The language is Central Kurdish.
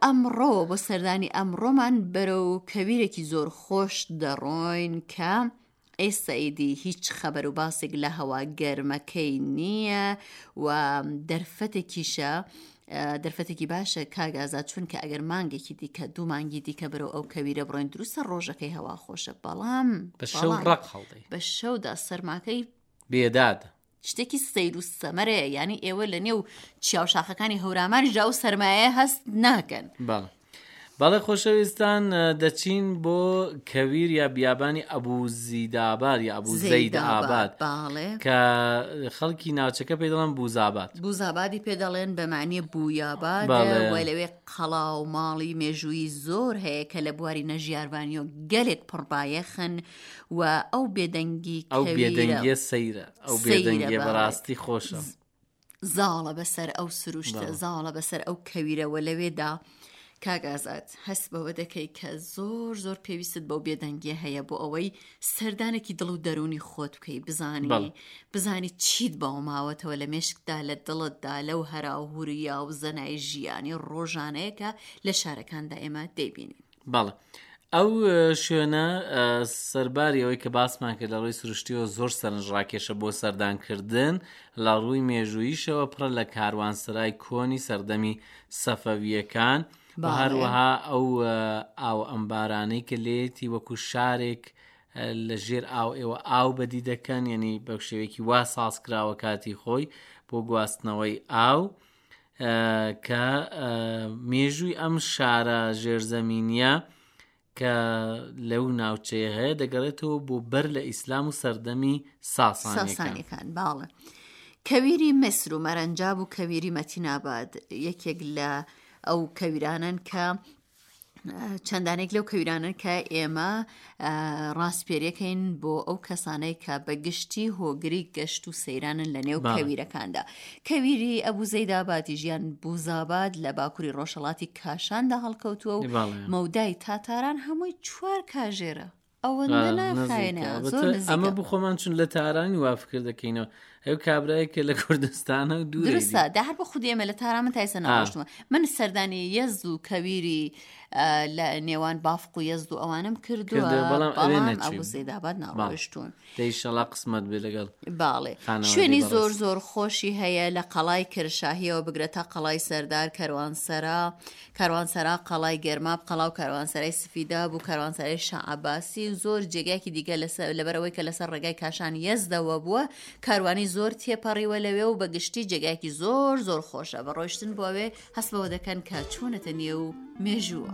ئەمڕۆ بۆ سەردانی ئەمڕۆمان بەرەو کەویرێکی زۆر خۆش دەڕۆین کە ئێستا ئیدی هیچ خەبەر و باسێک لە هەوا گەرمەکەی نییە و دەرفەتێکیشە دەرفەتێکی باشە کاک ئازاد چونکە ئەگەر مانگێکی دیکە دوو مانگی دیکە بەرەو ئەو کەویرە بڕۆین دروستە ڕۆژەکەی هەوا خۆشە بەڵام بە شەو ڕق هەڵدەی بە شەودا سەرماکەی بێداد شتێکی سەیر و سەمەرەیە یانی ئێوە لە نێو چیا و شاخەکانی هەورامانیشدا ئەو سەرمایە هەست ناکەن. بەڵێ. بەڵێ خۆشەویستان دەچین بۆ کەویر یا بیابانی ئەبوو زیداباد یا ئەبوو زەید ئاباد کە خەڵکی ناوچەکە پێی دەڵێن بوزاباد بوزابادی پێ دەڵێن بە معنی بویاباد وای لەوێ قەڵا و ماڵی مێژوویی زۆر هەیە کە لە بواری نەژیاربانیۆ گەلێک پڕبایەخن و ئەو بێدەنگی ئەو بێدەنگیە سەیرە ئەو بێدەنگیە بەڕاستی خۆشە. زاڵە بەسەر ئەو سروشتە زاڵە بەسەر ئەو کەویرەوە لەوێدا کاک ئازاد هەست بەوە دەکەی کە زۆر زۆر پێویستت بەو بێدەنگیە هەیە بۆ ئەوەی سەردانێکی دڵ و دەرونی خۆت بکەی بزانی بزانی چیت باو ماوەتەوە لە مێشکدا لە دڵتدا لەو هەرا و هوریا و زەنای ژیانی ڕۆژانەیە کە لە شارەکاندا ئێمە دەیبینین. بەڵێ ئەو شوێنە سەرباری ئەوەی کە باسمان کرد لە ڕووی سروشتیەوە زۆر سەرنجڕاکێشە بۆ سەردانکردن لە ڕووی مێژوویشەوە پڕە لە کاروانسەرای کۆنی سەردەمی سەفەویەکان و هەروەها ئەو ئاو ئەمبارانەی کە لێتی وەکو شارێک لە ژێر ئاو ئێوە ئاو بەدی دەکەن یعنی بە شێوەیەکی وا ساز کراوە کاتی خۆی بۆ گواستنەوەی ئاو کە مێژووی ئەم شارە ژێرزەمینیە کە لەو ناوچەیە هەیە دەگەڕێتەوە بۆ بەر لە ئیسلام و سەردەمی ساسانیەکان باڵە کەویری میسر و مەرەنجاب و کەویری مەتیناباد یەکێک لە ئەو کەویرانن کە چەندانێک لەو کەویرانەن کە ئێمە ڕاسپێریەکەین بۆ ئەو کەسانەی کە بە گشتی هۆگری گەشت و سەیرانن لە نێو کەویرەکاندا کەویری ئەبوو زەیدابادی ژیان بوزاباد لە باکووری ڕۆژهڵاتی کاشاندا هەڵکەوتووە و مەودای تاتاران هەمووی چوار کاژێرە ئەوەندە ناخایەنە زۆر نزیکە. ئەمە بۆ خۆمان چون لە تارانی وا فکر دەکەینەوە ئەو کابرایە کە لە کوردستانە و دوورە دروستە دا هەر بۆ خودی ئێمە لە تاران من تا ئێستا نەڕۆشتووە من سەردانی یەزد و کەویری لە نێوان بافق و یەزد و ئەوانم کردووە کردووە، بەڵام ئەوێ بەڵام نەچووین. ئەبوو زەیداباد ناڕۆشتوون دەیشەڵا قسمەت بێ لەگەڵ باڵێ خانەوادەی شوێنی بەڕێز. زۆر زۆر خۆشی هەیە لە قەڵای کرشاهیەوە بگرە تا قەڵای سەردار کەروانسەرا کاروانسەرا، قەڵای گەرماب، قەڵا و کاروانسەرای سفیداب و کاروانسەرای شا عەباسی و زۆر جێگایەکی دیکە لەسەر لەبەرئەوەی کە لەسەر ڕێگای کاشان یەزدەوە بووە کاروانی زۆر تێپەڕیوە لەوێ و بە گشتی جێگایەکی زۆر زۆر خۆشە بە ڕۆیشتن بۆ ئەوێ هەست بەوە دەکەن کە چوونەتە نێو مێژووە.